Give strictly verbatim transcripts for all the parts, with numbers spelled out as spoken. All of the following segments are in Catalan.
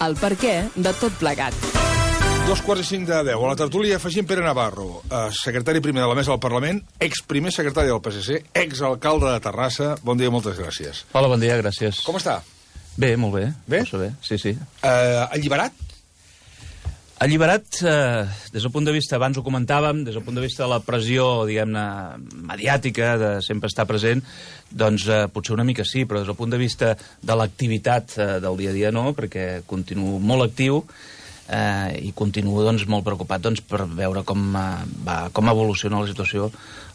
el perquè de tot plegat. Dos quarts i cinc de deu. A la tertúlia afegim Pere Navarro, eh, secretari primer de la Mesa del Parlament, ex-primer secretari del P S C, ex-alcalde de Terrassa. Bon dia, moltes gràcies. Hola, bon dia, gràcies. Com està? Bé, molt bé. Bé? Força bé, sí, sí. Eh, alliberat? Alliberat, eh, des del punt de vista, abans ho comentàvem, des del punt de vista de la pressió, diguem-ne, mediàtica, de sempre estar present, doncs eh, potser una mica sí, però des del punt de vista de l'activitat eh, del dia a dia no, perquè continuo molt actiu eh, i continuo doncs, molt preocupat doncs, per veure com, eh, va, com evoluciona la situació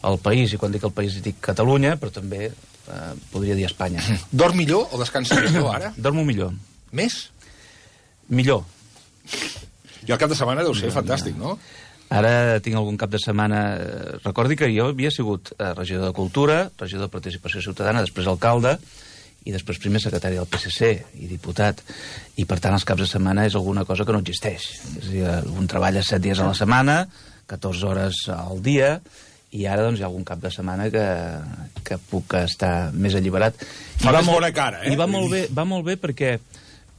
al país. I quan dic el país dic Catalunya, però també eh, podria dir Espanya. Dorm millor o descansa millor ara? Dormo millor. Més? Millor. I el cap de setmana deu ser no, fantàstic, no? Ara tinc algun cap de setmana... Recordi que jo havia sigut regidor de Cultura, regidor de Participació Ciutadana, després alcalde, i després primer secretari del P S C i diputat. I, per tant, els caps de setmana és alguna cosa que no existeix. És a dir, un treballa set dies a la setmana, catorze hores al dia, i ara doncs, hi ha algun cap de setmana que, que puc estar més alliberat. Fa més bona cara, eh? I va molt bé, va molt bé perquè...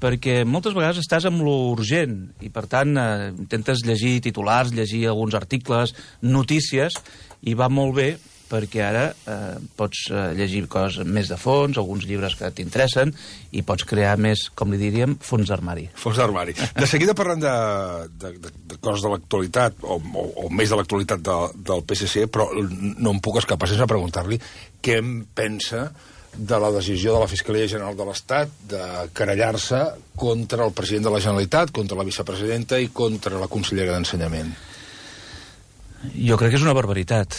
perquè moltes vegades estàs amb lo urgent i, per tant, eh, intentes llegir titulars, llegir alguns articles, notícies, i va molt bé perquè ara eh, pots eh, llegir coses més de fons, alguns llibres que t'interessen, i pots crear més, com li diríem, fons d'armari. Fons d'armari. De seguida parlant de, de, de, de coses de l'actualitat, o, o, o més de l'actualitat de, del P S C, però no em puc escapar sense preguntar-li què em pensa de la decisió de la Fiscalia General de l'Estat de querellar-se contra el president de la Generalitat, contra la vicepresidenta i contra la consellera d'Ensenyament. Jo crec que és una barbaritat.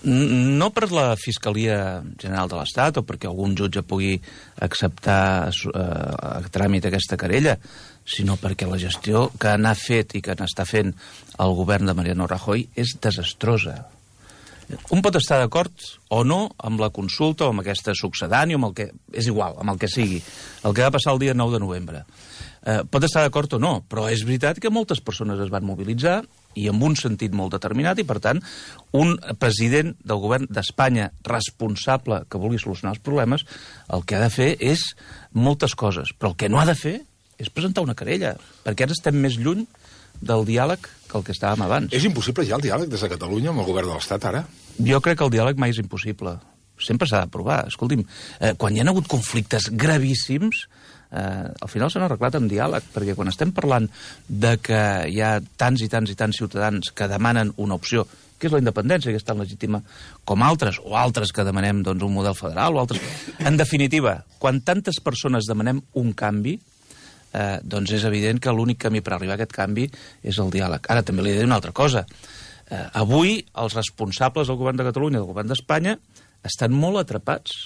No per la Fiscalia General de l'Estat o perquè algun jutge pugui acceptar a tràmit aquesta querella, sinó perquè la gestió que n'ha fet i que n'està fent el govern de Mariano Rajoy és desastrosa. Un pot estar d'acord o no amb la consulta o amb aquesta succedània, amb el que... és igual, amb el que sigui, el que va passar el dia nou de novembre. Eh, pot estar d'acord o no, però és veritat que moltes persones es van mobilitzar i amb un sentit molt determinat, i per tant, un president del govern d'Espanya responsable que vulgui solucionar els problemes, el que ha de fer és moltes coses, però el que no ha de fer és presentar una querella, perquè ara estem més lluny del diàleg que el que estàvem abans. És impossible ja el diàleg des de Catalunya amb el govern de l'Estat, ara? Jo crec que el diàleg mai és impossible. Sempre s'ha de provar. Escolti'm, eh, quan hi ha hagut conflictes gravíssims, eh, al final s'han arreglat amb diàleg, perquè quan estem parlant de que hi ha tants i tants i tants ciutadans que demanen una opció, que és la independència, que és tan legítima com altres, o altres que demanem doncs, un model federal, o altres... En definitiva, quan tantes persones demanem un canvi, Eh, doncs és evident que l'únic camí per arribar a aquest canvi és el diàleg. Ara també li diré una altra cosa. Eh, avui els responsables del govern de Catalunya i del govern d'Espanya estan molt atrapats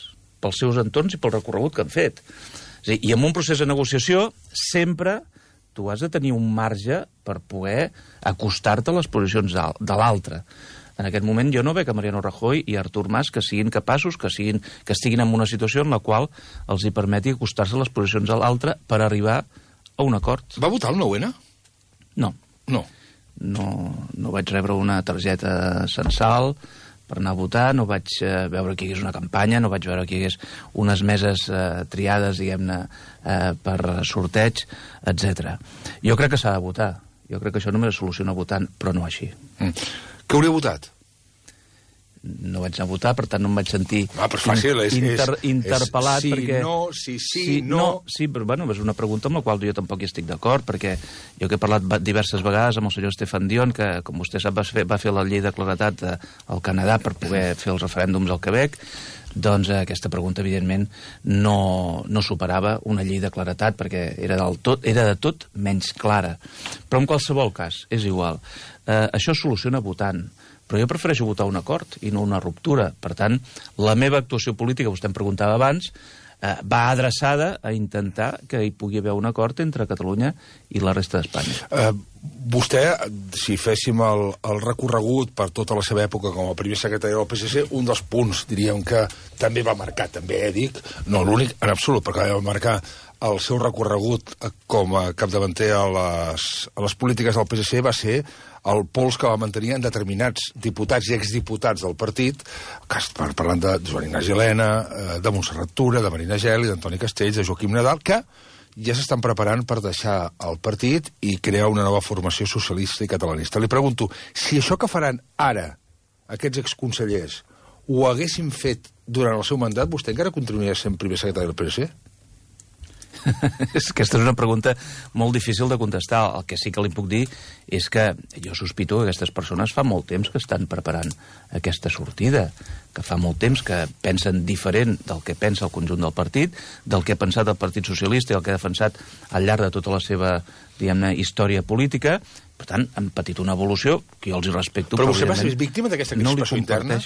pels seus entorns i pel recorregut que han fet. És a dir, i en un procés de negociació sempre tu has de tenir un marge per poder acostar-te a les posicions de l'altre. En aquest moment jo no veig que Mariano Rajoy i Artur Mas que siguin capaços, que, siguin, que estiguin en una situació en la qual els hi permeti acostar-se a les posicions de l'altre per arribar a un acord. Va votar el nou ene? No. No. No, no vaig rebre una targeta censal per anar a votar, no vaig eh, veure que hi hagués una campanya, no vaig veure que hi hagués unes meses eh, triades, diguem-ne, eh, per sorteig, etcètera. Jo crec que s'ha de votar. Jo crec que això només es soluciona votant, però no així. Mm. Què hauria votat? No vaig anar a votar, per tant no em vaig sentir ah, però fàcil, és, inter, és, interpel·lat. És sí, perquè... no, sí, sí, sí, no... no... Sí, però bueno, és una pregunta amb la qual jo tampoc hi estic d'acord, perquè jo que he parlat diverses vegades amb el senyor Stefan Dion, que, com vostè sap, va fer, va fer la llei de claredat al Canadà per poder fer els referèndums al Quebec, doncs eh, aquesta pregunta, evidentment, no, no superava una llei de claretat, perquè era, del tot, era de tot menys clara. Però en qualsevol cas, és igual. Eh, això es soluciona votant. Però jo prefereixo votar un acord i no una ruptura. Per tant, la meva actuació política, vostè em preguntava abans, eh, va adreçada a intentar que hi pugui haver un acord entre Catalunya i la resta d'Espanya. Eh, vostè, si féssim el, el recorregut per tota la seva època com a primer secretari del P S C, un dels punts, diríem que també va marcar, també eh, dic, no l'únic en absolut, perquè va marcar el seu recorregut com a capdavanter a les, a les polítiques del P S C va ser el pols que va mantenir en determinats diputats i exdiputats del partit, parlant de Joan Ignasi Elena, de Montserrat Tura, de Marina Geli, d'Antoni Castells, de Joaquim Nadal, que ja s'estan preparant per deixar el partit i crear una nova formació socialista i catalanista. Li pregunto, si això que faran ara aquests exconsellers ho haguessin fet durant el seu mandat, vostè encara continuaria sent primer secretari del P S C? Aquesta és una pregunta molt difícil de contestar. El que sí que li puc dir és que jo sospito que aquestes persones fa molt temps que estan preparant aquesta sortida, que fa molt temps que pensen diferent del que pensa el conjunt del partit, del que ha pensat el Partit Socialista i el que ha defensat al llarg de tota la seva, diguem-ne, història política. Per tant, han patit una evolució que jo els hi respecto. Però vostè va ser víctima d'aquesta crispació no interna?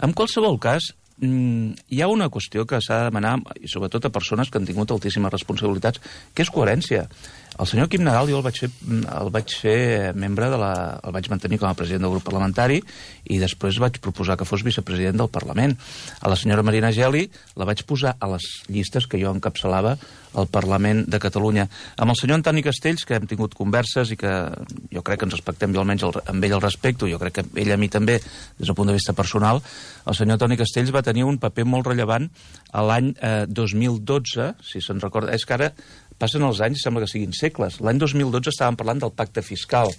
En qualsevol cas, hi ha una qüestió que s'ha de demanar, i sobretot a persones que han tingut altíssimes responsabilitats, que és coherència. El senyor Quim Nadal jo el vaig fer, el vaig fer membre de la... el vaig mantenir com a president del grup parlamentari i després vaig proposar que fos vicepresident del Parlament. A la senyora Marina Geli la vaig posar a les llistes que jo encapçalava al Parlament de Catalunya. Amb el senyor Antoni Castells, que hem tingut converses i que jo crec que ens respectem, jo almenys el, amb ell el respecto, jo crec que ell a mi també, des del punt de vista personal, el senyor Antoni Castells va tenir un paper molt rellevant a l'any eh, dos mil dotze, si se'n recorda. És que ara passen els anys, sembla que siguin segles. L'any dos mil dotze estàvem parlant del pacte fiscal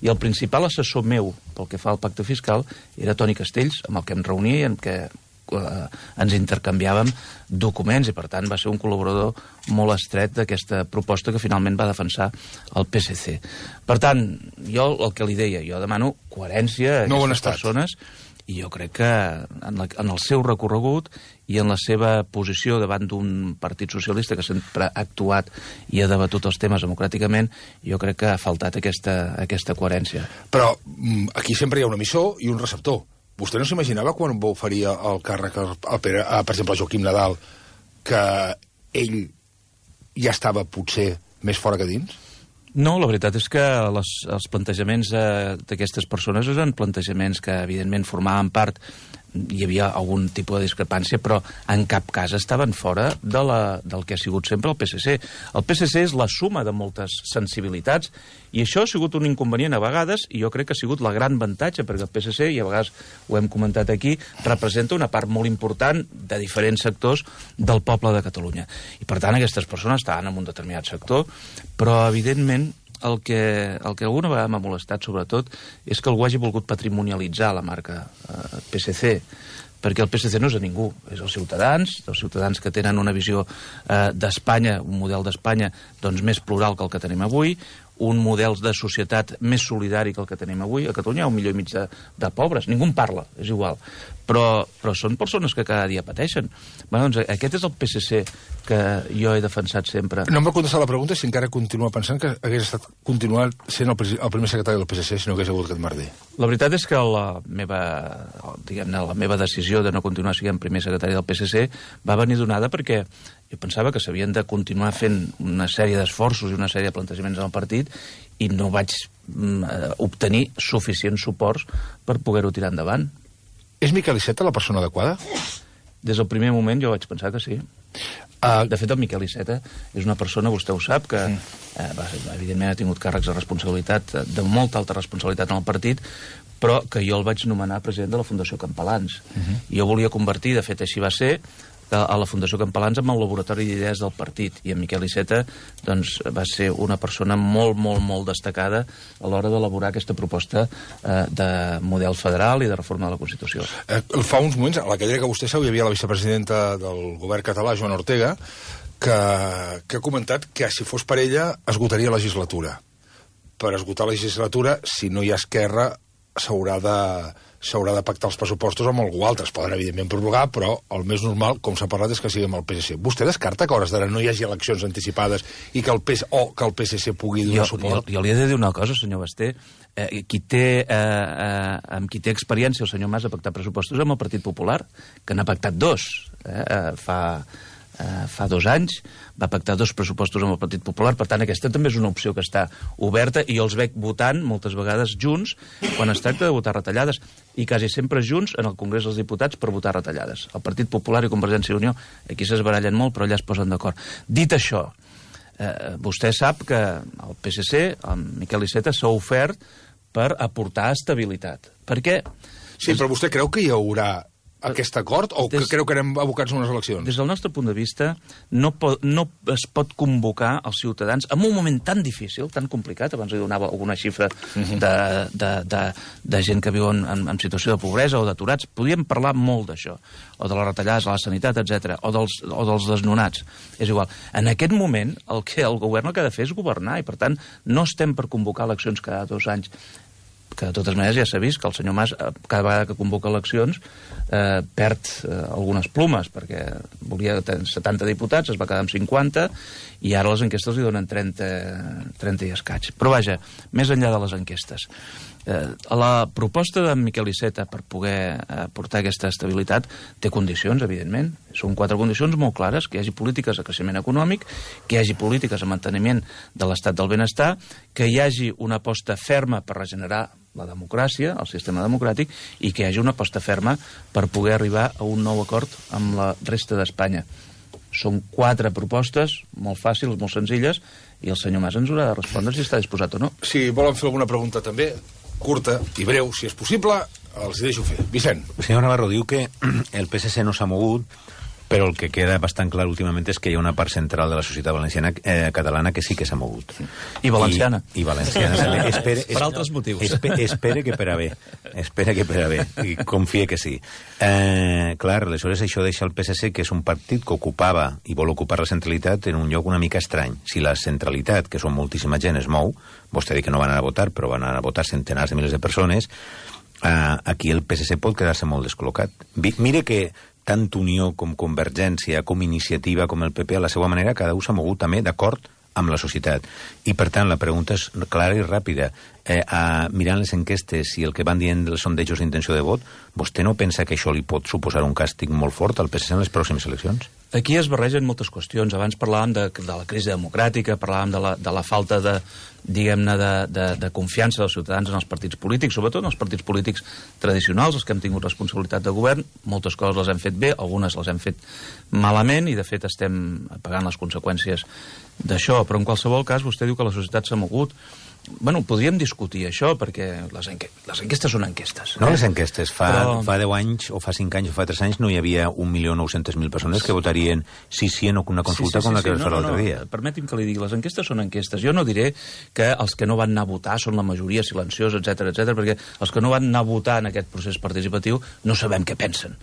i el principal assessor meu pel que fa al pacte fiscal era Toni Castells, amb el que em reunia i amb què eh, ens intercanviàvem documents i per tant va ser un col·laborador molt estret d'aquesta proposta que finalment va defensar el P S C. Per tant, jo el que li deia, jo demano coherència a no aquestes persones i jo crec que en, la, en el seu recorregut i en la seva posició davant d'un partit socialista que sempre ha actuat i ha debatut els temes democràticament, jo crec que ha faltat aquesta, aquesta coherència. Però aquí sempre hi ha un emissor i un receptor. Vostè no s'imaginava quan va oferir el càrrec a, a, a, per exemple, a Joaquim Nadal, que ell ja estava potser més fora que dins? No, la veritat és que les, els plantejaments eh, d'aquestes persones eren plantejaments que, evidentment, formaven part, hi havia algun tipus de discrepància, però en cap cas estaven fora de la, del que ha sigut sempre el P S C. El P S C és la suma de moltes sensibilitats i això ha sigut un inconvenient a vegades i jo crec que ha sigut la gran avantatge perquè el P S C, i a vegades ho hem comentat aquí, representa una part molt important de diferents sectors del poble de Catalunya. I per tant aquestes persones estaven en un determinat sector, però evidentment el que, el que alguna vegada m'ha molestat, sobretot, és que algú hagi volgut patrimonialitzar la marca eh, P S C, perquè el P S C no és de ningú, és els ciutadans, els ciutadans que tenen una visió eh, d'Espanya, un model d'Espanya doncs, més plural que el que tenim avui, un model de societat més solidari que el que tenim avui. A Catalunya hi ha un milió i mig de, de pobres, ningú en parla, és igual. Però, però són persones que cada dia pateixen. Bé, doncs aquest és el P S C que jo he defensat sempre. No em va contestar la pregunta si encara continua pensant que hagués estat continuat sent el, el primer secretari del P S C si no hagués hagut aquest merder. La veritat és que la meva, diguem-ne, la meva decisió de no continuar sent primer secretari del P S C va venir donada perquè jo pensava que s'havien de continuar fent una sèrie d'esforços i una sèrie de plantejaments en el partit i no vaig mm, obtenir suficients suports per poder-ho tirar endavant. És Miquel Iceta la persona adequada? Des del primer moment jo vaig pensar que sí. Uh, de fet, el Miquel Iceta és una persona, vostè ho sap, que sí. eh, va, evidentment ha tingut càrrecs de responsabilitat, de molta alta responsabilitat en el partit, però que jo el vaig nomenar president de la Fundació Campalans. Uh -huh. I jo volia convertir, de fet així va ser, a la Fundació Campalans amb el laboratori d'idees del partit. I en Miquel Iceta doncs, va ser una persona molt, molt, molt destacada a l'hora d'elaborar aquesta proposta eh, de model federal i de reforma de la Constitució. Eh, fa uns moments, a la cadira que vostè seu, hi havia la vicepresidenta del govern català, Joana Ortega, que, que ha comentat que si fos per ella esgotaria la legislatura. Per esgotar la legislatura, si no hi ha Esquerra, s'haurà de... s'haurà de pactar els pressupostos amb algú altre. Es poden, evidentment, prorrogar, però el més normal, com s'ha parlat, és que sigui amb el P S C. Vostè descarta que a hores d'ara no hi hagi eleccions anticipades i que el P S C, o que el P S C pugui donar jo, suport? Jo, jo li he de dir una cosa, senyor Basté. Eh, qui té, eh, eh, amb qui té experiència, el senyor Mas, a pactar pressupostos amb el Partit Popular, que n'ha pactat dos. Eh, eh, fa... Uh, fa dos anys, va pactar dos pressupostos amb el Partit Popular, per tant aquesta també és una opció que està oberta i jo els veig votant moltes vegades junts quan es tracta de votar retallades i quasi sempre junts en el Congrés dels Diputats per votar retallades. El Partit Popular i Convergència i Unió aquí s'esbarallen molt però allà es posen d'acord. Dit això, eh, vostè sap que el P S C, el Miquel Iceta, s'ha ofert per aportar estabilitat. Per què? Sí, però vostè creu que hi haurà aquest acord o des, que creu que anem abocats a unes eleccions? Des del nostre punt de vista, no, po, no es pot convocar els ciutadans en un moment tan difícil, tan complicat, abans li donava alguna xifra uh-huh. de, de, de, de gent que viu en, en, en situació de pobresa o d'aturats. Podríem parlar molt d'això, o de les retallades a la sanitat, etcètera, o dels, o dels desnonats. És igual. En aquest moment, el que el govern el que ha de fer és governar, i per tant no estem per convocar eleccions cada dos anys, que de totes maneres ja s'ha vist que el senyor Mas, cada vegada que convoca eleccions, eh, perd eh, algunes plumes, perquè volia setanta diputats, es va quedar amb cinquanta, i ara les enquestes li donen trenta, trenta i escaig. Però vaja, més enllà de les enquestes, eh, la proposta d'en Miquel Iceta per poder eh, portar aquesta estabilitat té condicions, evidentment. Són quatre condicions molt clares: que hi hagi polítiques de creixement econòmic, que hi hagi polítiques de manteniment de l'estat del benestar, que hi hagi una aposta ferma per regenerar la democràcia, el sistema democràtic, i que hi hagi una aposta ferma per poder arribar a un nou acord amb la resta d'Espanya. Són quatre propostes molt fàcils, molt senzilles, i el senyor Mas ens haurà de respondre si està disposat o no. Si volen fer alguna pregunta també, curta i breu, si és possible, els deixo fer. Vicent. El senyor Navarro diu que el P S C no s'ha mogut, però el que queda bastant clar últimament és que hi ha una part central de la societat valenciana eh, catalana que sí que s'ha mogut. I valenciana. I, i valenciana també. Espere, per altres motius. Espere, espere que per a bé. Espere que per a bé. I confie que sí. Eh, clar, aleshores això deixa el P S C, que és un partit que ocupava i vol ocupar la centralitat, en un lloc una mica estrany. Si la centralitat, que són moltíssima gent, es mou, vostè diu que no van anar a votar, però van anar a votar centenars de milers de persones, eh, aquí el P S C pot quedar-se molt descol·locat. Mire que tant Unió com Convergència, com Iniciativa, com el P P, a la seva manera, cada un s'ha mogut també d'acord amb la societat. I, per tant, la pregunta és clara i ràpida. Eh, a, mirant les enquestes i el que van dient dels sondejos d'intenció de vot, vostè no pensa que això li pot suposar un càstig molt fort al P S C en les pròximes eleccions? Aquí es barregen moltes qüestions. Abans parlàvem de, de la crisi democràtica, parlàvem de la, de la falta de, diguem-ne, de, de, de confiança dels ciutadans en els partits polítics, sobretot en els partits polítics tradicionals, els que hem tingut responsabilitat de govern. Moltes coses les hem fet bé, algunes les hem fet malament, i de fet estem pagant les conseqüències d'això. Però en qualsevol cas, vostè diu que la societat s'ha mogut. Bueno, podríem discutir això, perquè les, enque les enquestes són enquestes. No les enquestes. Fa, Però... fa deu anys, o fa cinc anys, o fa tres anys, no hi havia un milió nou-centes mil persones que votarien sí, sí, en una consulta sí, sí, sí, com la que sí, vas fer no, l'altre no, dia. Permeti'm que li digui, les enquestes són enquestes. Jo no diré que els que no van anar a votar són la majoria silenciosa, etcètera, etcètera, perquè els que no van anar a votar en aquest procés participatiu no sabem què pensen.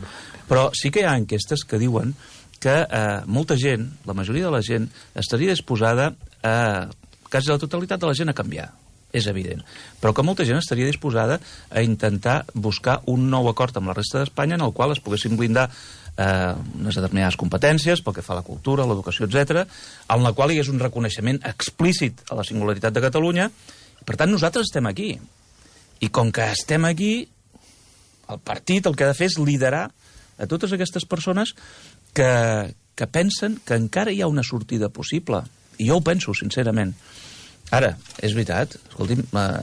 Però sí que hi ha enquestes que diuen que eh, molta gent, la majoria de la gent, estaria disposada a... quasi la totalitat de la gent a canviar, és evident. Però que molta gent estaria disposada a intentar buscar un nou acord amb la resta d'Espanya en el qual es poguessin blindar eh, unes determinades competències pel que fa a la cultura, l'educació, etcètera, en la qual hi és un reconeixement explícit a la singularitat de Catalunya. Per tant, nosaltres estem aquí. I com que estem aquí, el partit el que ha de fer és liderar a totes aquestes persones que, que pensen que encara hi ha una sortida possible. I jo ho penso, sincerament. Ara, és veritat, escolti'm,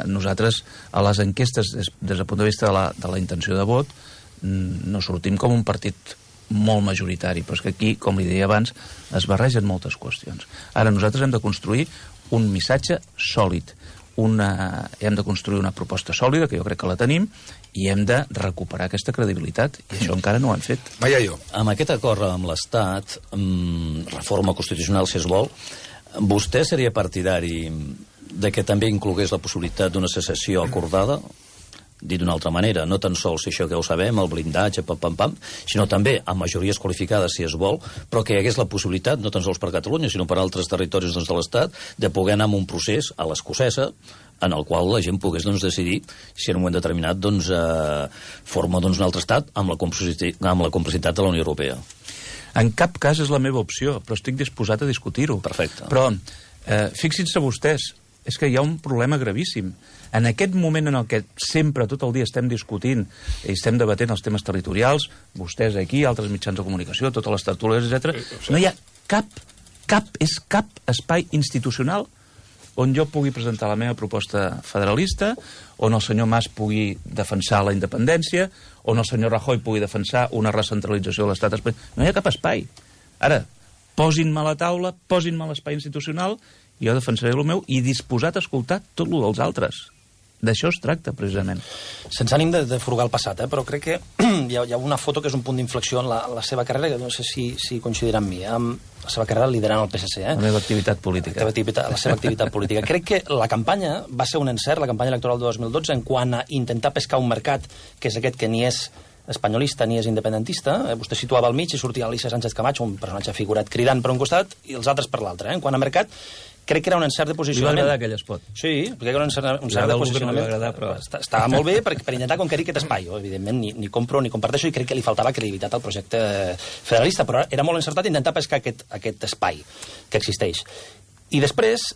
nosaltres a les enquestes, des, des del punt de vista de la, de la intenció de vot, no sortim com un partit molt majoritari, però és que aquí, com li deia abans, es barregen moltes qüestions. Ara, nosaltres hem de construir un missatge sòlid, una, hem de construir una proposta sòlida, que jo crec que la tenim, i hem de recuperar aquesta credibilitat, i això encara no ho hem fet. Vaja jo. Amb aquest acord amb l'Estat, reforma constitucional, si es vol, vostè seria partidari de que també inclogués la possibilitat d'una secessió acordada? Dit d'una altra manera, no tan sols això que ho sabem, el blindatge, pam, pam, pam, sinó també amb majories qualificades, si es vol, però que hi hagués la possibilitat, no tan sols per Catalunya, sinó per altres territoris doncs, de l'Estat, de poder anar amb un procés a l'escocesa, en el qual la gent pogués doncs, decidir si en un moment determinat doncs, eh, forma doncs, un altre estat amb la, amb la complicitat de la Unió Europea. En cap cas és la meva opció, però estic disposat a discutir-ho. Perfecte. Però eh, fixin-se vostès, és que hi ha un problema gravíssim. En aquest moment en el que sempre, tot el dia, estem discutint i estem debatent els temes territorials, vostès aquí, altres mitjans de comunicació, totes les tertúlies, etcètera, no hi ha cap, cap, és cap espai institucional on jo pugui presentar la meva proposta federalista, on el senyor Mas pugui defensar la independència, on el senyor Rajoy pugui defensar una recentralització de l'estat espanyol. No hi ha cap espai. Ara, posin-me a la taula, posin-me a l'espai institucional, jo defensaré el meu i disposat a escoltar tot el dels altres. D'això es tracta, precisament. Sense ànim de, de furgar el passat, eh? Però crec que hi ha, hi ha una foto que és un punt d'inflexió en la, la seva carrera, que no sé si, si coincidirà amb mi, eh? Amb la seva carrera liderant el P S C. Eh? La meva activitat política. La, activitat, la seva activitat política. Crec que la campanya va ser un encert, la campanya electoral de dos mil dotze, en quant a intentar pescar un mercat, que és aquest que ni és espanyolista ni és independentista. Eh? Vostè situava al mig i sortia Alicia Sánchez Camacho, un personatge figurat cridant per un costat i els altres per l'altre. Eh? En quant a mercat, crec que era un encert de posicionament. Li va agradar aquell espot. Sí, perquè era un encert, un encert de posicionament. No agradar, però... Estava molt bé per, per intentar conquerir aquest espai. Jo, evidentment, ni, ni compro ni comparteixo i crec que li faltava credibilitat al projecte federalista, però era molt encertat intentar pescar aquest, aquest espai que existeix. I després,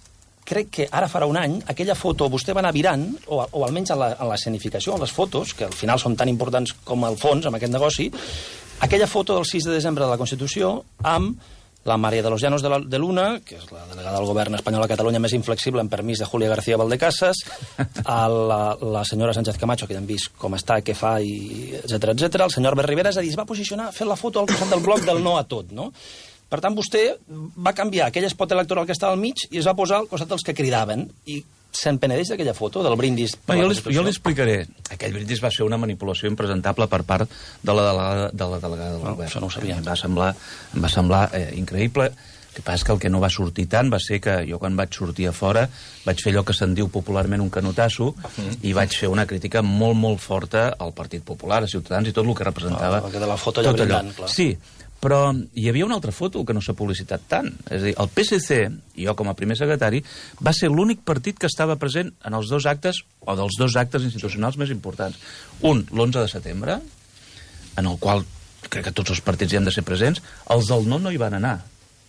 crec que ara farà un any, aquella foto vostè va anar virant, o, o almenys a la, a la escenificació, a les fotos, que al final són tan importants com el fons, amb aquest negoci, aquella foto del sis de desembre de la Constitució amb la María de los Llanos de, la, de Luna, que és la delegada del govern espanyol a Catalunya més inflexible en permís de Julia García Valdecasas, a la, la senyora Sánchez Camacho, que ja hem vist com està, què fa, i etcètera, etcètera, el senyor Albert Rivera, és a dir, es va posicionar fent la foto al costat del bloc del no a tot, no? Per tant, vostè va canviar aquell espot electoral que estava al mig i es va posar al costat dels que cridaven. I se'n penedeix d'aquella foto, del brindis? No, jo, li, jo li explicaré. Aquell brindis va ser una manipulació impresentable per part de la delegada, de la delegada del no, govern. Això no ho sabia. Em va semblar, em va semblar eh, increïble. El que passa és que el que no va sortir tant va ser que jo, quan vaig sortir a fora, vaig fer allò que se'n diu popularment un canotasso, mm. i vaig fer una crítica molt, molt forta al Partit Popular, a Ciutadans, i tot el que representava. No, que de la foto allà brindant, clar. Sí, però hi havia una altra foto que no s'ha publicitat tant. És a dir, el P S C, i jo com a primer secretari, va ser l'únic partit que estava present en els dos actes, o dels dos actes institucionals més importants. Un, l'onze de setembre, en el qual crec que tots els partits hi han de ser presents. Els del no no hi van anar.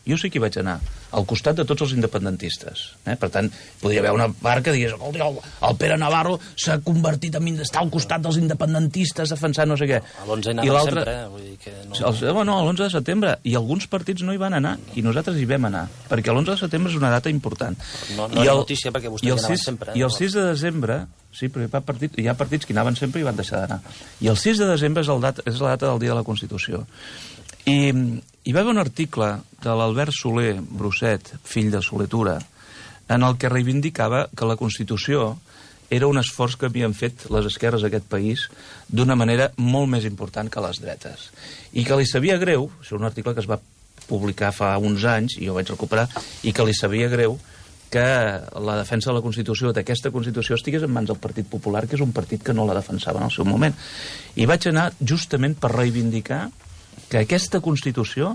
Jo sí que hi vaig anar, al costat de tots els independentistes. Eh? Per tant, podria haver una part que digués el, el Pere Navarro s'ha convertit en estar al costat dels independentistes defensant no sé què. A l'onze hi anava sempre, eh? Vull dir que no... El, no, l'onze de setembre. I alguns partits no hi van anar, i nosaltres hi vam anar, perquè l'onze de setembre és una data important. No, no era notícia perquè vostès hi anaven sempre. Eh? I el sis de desembre, sí, perquè hi ha, partit, hi ha partits que hi anaven sempre i van deixar d'anar. I el sis de desembre és, el dat, és la data del dia de la Constitució. I hi va haver un article de l'Albert Soler Brosset, fill de Soler Tura, en el que reivindicava que la Constitució era un esforç que havien fet les esquerres d'aquest país d'una manera molt més important que les dretes. I que li sabia greu, això és un article que es va publicar fa uns anys, i jo vaig recuperar, i que li sabia greu que la defensa de la Constitució, d'aquesta Constitució, estigués en mans del Partit Popular, que és un partit que no la defensava en el seu moment. I vaig anar justament per reivindicar que aquesta Constitució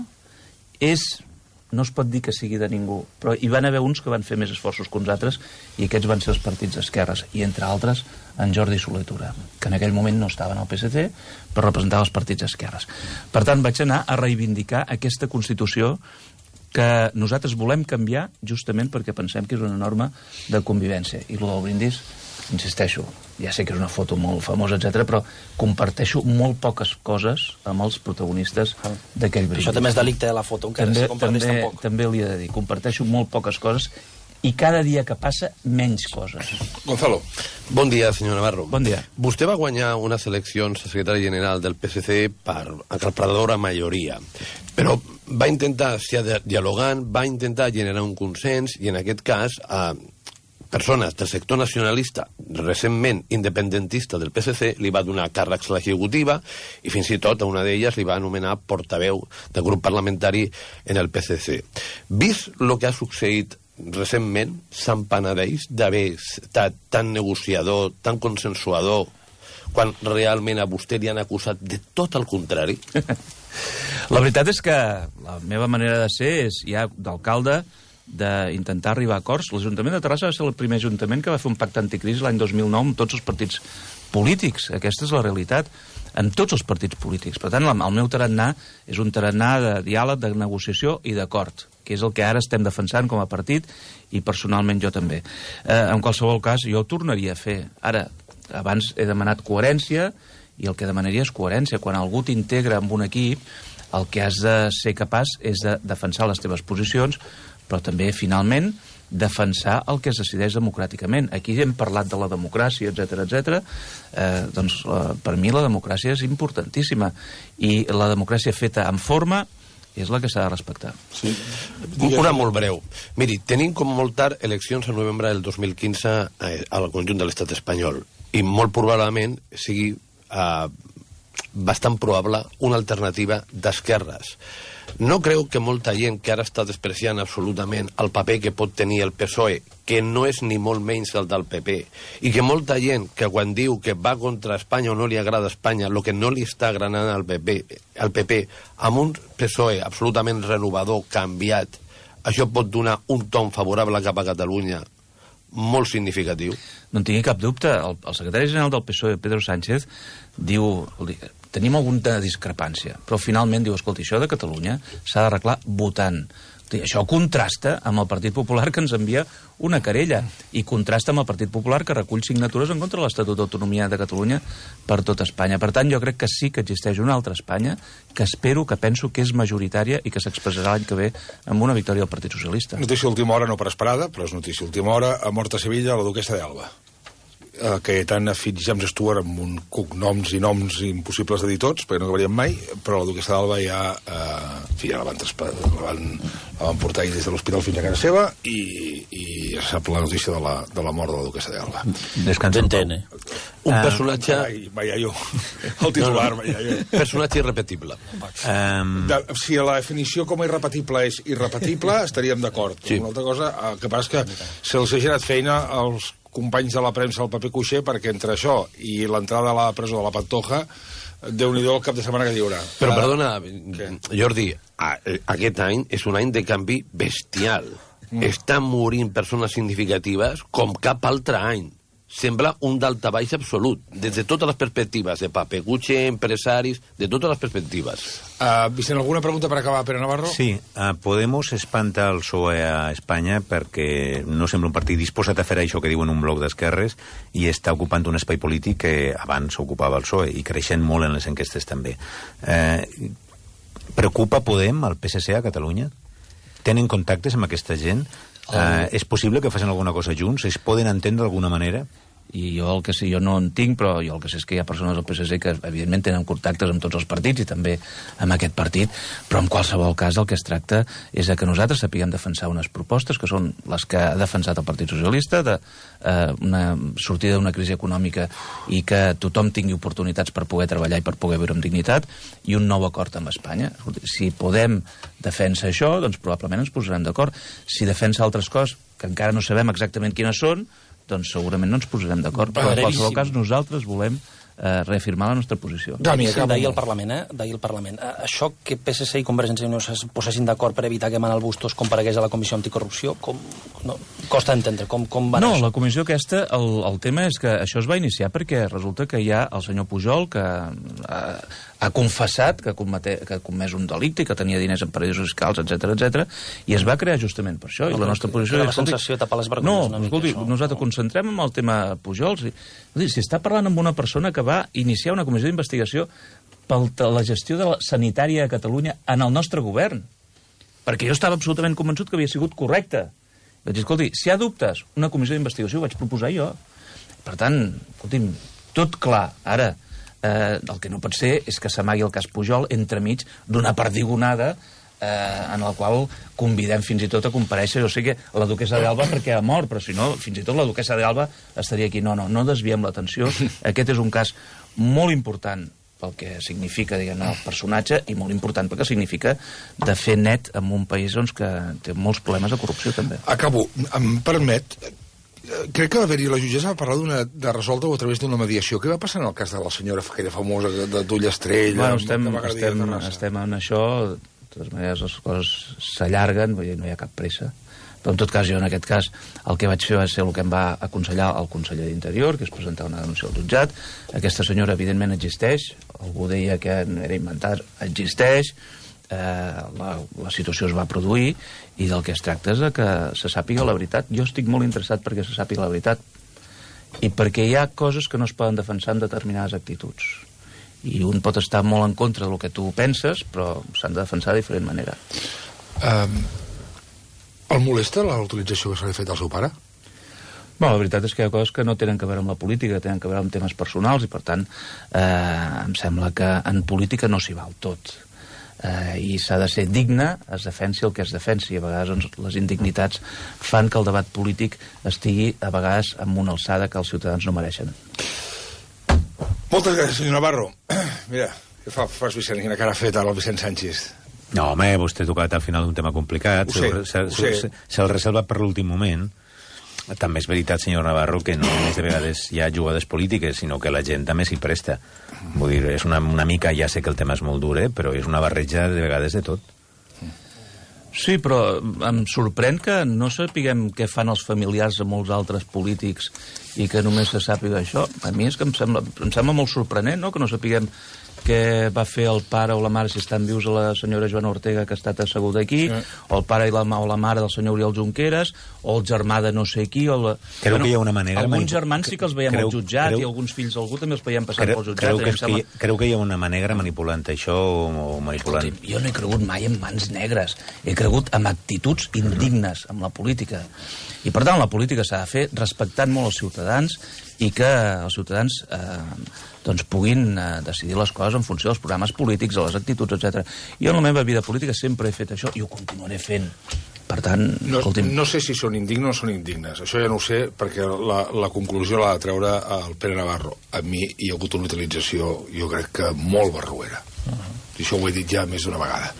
és, no es pot dir que sigui de ningú, però hi van haver uns que van fer més esforços que uns altres, i aquests van ser els partits d'esquerres, i entre altres en Jordi Soler Tura, que en aquell moment no estava en el P S C, però representava els partits d'esquerres. Per tant, vaig anar a reivindicar aquesta Constitució que nosaltres volem canviar justament perquè pensem que és una norma de convivència. I el del brindis, insisteixo, ja sé que és una foto molt famosa, etcètera, però comparteixo molt poques coses amb els protagonistes d'aquell brindis. Això també és delicte de la foto, encara també, si comparteix també, tampoc. També li he de dir, comparteixo molt poques coses i cada dia que passa, menys coses. Gonzalo. Bon dia, senyor Navarro. Bon dia. Vostè va guanyar unes eleccions a secretari general del P S C per aclaparadora majoria, però va intentar, si dialogant, va intentar generar un consens i en aquest cas a persones del sector nacionalista, recentment independentista del P S C, li va donar càrrecs a l'executiva i fins i tot a una d'elles li va anomenar portaveu del grup parlamentari en el P S C. Vist el que ha succeït recentment, se'n penedeix d'haver estat tan negociador, tan consensuador, quan realment a vostè li han acusat de tot el contrari? La veritat és que la meva manera de ser és ja d'alcalde, d'intentar arribar a acords. L'Ajuntament de Terrassa va ser el primer ajuntament que va fer un pacte anticrisi l'any dos mil nou amb tots els partits polítics. Aquesta és la realitat, amb tots els partits polítics. Per tant, el meu tarannà és un tarannà de diàleg, de negociació i d'acord, que és el que ara estem defensant com a partit i personalment jo també. Eh, en qualsevol cas, jo ho tornaria a fer. Ara, abans he demanat coherència i el que demanaria és coherència. Quan algú t'integra en un equip, el que has de ser capaç és de defensar les teves posicions, però també, finalment, defensar el que es decideix democràticament. Aquí hem parlat de la democràcia, etcètera, etcètera. Eh, doncs, eh, per mi la democràcia és importantíssima. I la democràcia feta amb forma és la que s'ha de respectar. Sí. Una molt breu. Miri, tenim com molt tard eleccions a novembre del dos mil quinze eh, al conjunt de l'estat espanyol i molt probablement sigui eh, bastant probable una alternativa d'esquerres. No creu que molta gent que ara està despreciant absolutament el paper que pot tenir el P S O E, que no és ni molt menys el del P P, i que molta gent que quan diu que va contra Espanya o no li agrada Espanya, el que no li està agradant al P P, al P P amb un P S O E absolutament renovador, canviat, això pot donar un ton favorable cap a Catalunya molt significatiu? No en tingui cap dubte. El, el secretari general del P S O E, Pedro Sánchez, diu... Tenim alguna discrepància, però finalment diu, escolta, això de Catalunya s'ha d'arreglar votant. Això contrasta amb el Partit Popular que ens envia una querella i contrasta amb el Partit Popular que recull signatures en contra de l'Estatut d'Autonomia de Catalunya per tot Espanya. Per tant, jo crec que sí que existeix una altra Espanya que espero, que penso que és majoritària i que s'expressarà l'any que ve amb una victòria del Partit Socialista. Notícia última hora, no per esperada, però és notícia última hora. Ha mort a Sevilla la duquessa d'Alba. Uh, Cayetana Fitzjames Stewart amb un cognoms i noms impossibles de dir tots, perquè no acabaríem mai, però la duquessa d'Alba ja, uh, en fi, ja la van, la, van, la van portar des de l'hospital fins a casa seva i, i ja sap la notícia de la, de la mort de la duquessa d'Alba. Descansa en pau. Un Uh, personatge... Vai, vaya jo. El titular, no, no. vaya jo. Personatge irrepetible. Um... De, si la definició com a irrepetible és irrepetible, estaríem d'acord. Sí. Una altra cosa, el que passa és que se'ls ha generat feina als companys de la premsa al paper cuixer, perquè entre això i l'entrada a la presó de la Pantoja, Déu-n'hi-do el cap de setmana que hi haurà. Però, Ara, perdona, què? Jordi, a, aquest any és un any de canvi bestial. Mm. Estan morint persones significatives com cap altre any. Sembla un daltabaix absolut, des de totes les perspectives, de paper cuixer, empresaris, de totes les perspectives. Uh, Vicent, alguna pregunta per acabar, Pere Navarro? Sí, uh, Podemos espanta el P S O E a Espanya perquè no sembla un partit disposat a fer això que diuen un bloc d'esquerres i està ocupant un espai polític que abans ocupava el P S O E i creixent molt en les enquestes també. Uh, preocupa Podem, el P S C a Catalunya? Tenen contactes amb aquesta gent? Uh, és possible que facin alguna cosa junts? Es poden entendre d'alguna manera? I jo el que sé, jo no en tinc, però jo el que sé és que hi ha persones del P S C que evidentment tenen contactes amb tots els partits i també amb aquest partit, però en qualsevol cas el que es tracta és de que nosaltres sapiguem defensar unes propostes que són les que ha defensat el Partit Socialista, de eh, una sortida d'una crisi econòmica i que tothom tingui oportunitats per poder treballar i per poder viure amb dignitat, i un nou acord amb Espanya. Si Podem defensa això, doncs probablement ens posarem d'acord. Si defensa altres coses que encara no sabem exactament quines són, doncs segurament no ens posarem d'acord, però en qualsevol cas nosaltres volem eh, reafirmar la nostra posició. Dani, Sí, acaba. d'ahir al Parlament, eh? D'ahir al Parlament. Eh, Això que P S C i Convergència i Unió es posessin d'acord per evitar que Manel Bustos comparegués a la Comissió Anticorrupció, com... No, costa entendre, com, com va No, anar la això? comissió aquesta, el, el tema és que això es va iniciar perquè resulta que hi ha el senyor Pujol que ha, ha confessat que, comete, que ha comès un delicte i que tenia diners en paradisos fiscals, etcètera, etcètera, i es va crear justament per això. I No, la nostra que- posició que és... la escolti, sensació de tapar les vergonyes No, una mica, escolti, això. nosaltres concentrem en el tema Pujol. Si, escolti, si està parlant amb una persona que va iniciar una comissió d'investigació per la gestió de la sanitària a Catalunya en el nostre govern, perquè jo estava absolutament convençut que havia sigut correcte. Vaig dir, escolti, si hi ha dubtes, una comissió d'investigació ho vaig proposar jo. Per tant, escolti'm, tot clar. Ara, eh, el que no pot ser és que s'amagui el cas Pujol entremig d'una perdigonada eh, en la qual convidem fins i tot a comparèixer, o sigui, la duquessa d'Alba perquè ha mort, però si no, fins i tot la duquessa d'Alba estaria aquí. No, no, no desviem l'atenció. Aquest és un cas molt important pel que significa, diguem, el personatge, i molt important perquè significa de fer net en un país doncs, que té molts problemes de corrupció, també. Acabo. Em permet... Crec que va haver-hi la jutgessa va parlar d'una de resoldre-ho a través d'una mediació. Què va passar en el cas de la senyora aquella famosa de d'Ullastrell? Bueno, estem, de Magradí de estem, Terrassa? estem en això, de totes maneres les coses s'allarguen, vull dir, no hi ha cap pressa. Però en tot cas, jo en aquest cas, el que vaig fer va ser el que em va aconsellar el conseller d'Interior, que és presentar una denúncia al jutjat. Aquesta senyora, evidentment, existeix. Algú deia que era inventat, existeix. Eh, la, la situació es va produir i del que es tracta és de que se sàpiga la veritat. Jo estic molt interessat perquè se sàpiga la veritat i perquè hi ha coses que no es poden defensar amb determinades actituds. I un pot estar molt en contra del que tu penses, però s'han de defensar de diferent manera. Um, el molesta la utilització que se li ha fet al seu pare? Bueno, la veritat és que hi ha coses que no tenen que veure amb la política, que tenen que veure amb temes personals, i per tant eh, em sembla que en política no s'hi val tot. eh, i s'ha de ser digne, es defensi el que es defensi. A vegades doncs, les indignitats fan que el debat polític estigui a vegades amb una alçada que els ciutadans no mereixen. Moltes gràcies, senyor Navarro. Mira, què fa, fas, Vicent? Quina cara ha fet ara el Vicent Sánchez? No, home, vostè ha tocat al final un tema complicat. Ho sé, Se'l ho sé. se, se reserva per l'últim moment. També és veritat, senyor Navarro, que no només de vegades hi ha jugades polítiques, sinó que la gent també s'hi presta. Vull dir, és una, una mica, ja sé que el tema és molt dur, eh, però és una barreja de vegades de tot. Sí, però em sorprèn que no sapiguem què fan els familiars de molts altres polítics i que només se sàpiga això. A mi és que em sembla, em sembla molt sorprenent, no?, que no sapiguem què va fer el pare o la mare, si estan vius, a la senyora Joana Ortega, que ha estat asseguda aquí, sí. o el pare i la, o la mare del senyor Oriol Junqueras, o el germà de no sé qui, o la... Creu bueno, que hi ha una manera... Alguns germans sí que els veiem creu, al jutjat, creu, i alguns fills d'algú també els veiem passar creu, pel jutjat. Creu que, sembla... que, creu que hi ha una manera manipulant això o manipulant... Escolti, jo no he cregut mai en mans negres. He cregut en actituds indignes amb la política. I, per tant, la política s'ha de fer respectant molt els ciutadans i que els ciutadans eh, doncs puguin eh, decidir les coses en funció dels programes polítics, de les actituds, etcètera. Jo en la meva vida política sempre he fet això i ho continuaré fent. Per tant, no, escolti'm... No sé si són indignes o són indignes. Això ja no ho sé, perquè la, la conclusió l'ha de treure el Pere Navarro. A mi hi ha hagut una utilització, jo crec que molt barroera. Uh -huh. I això ho he dit ja més d'una vegada.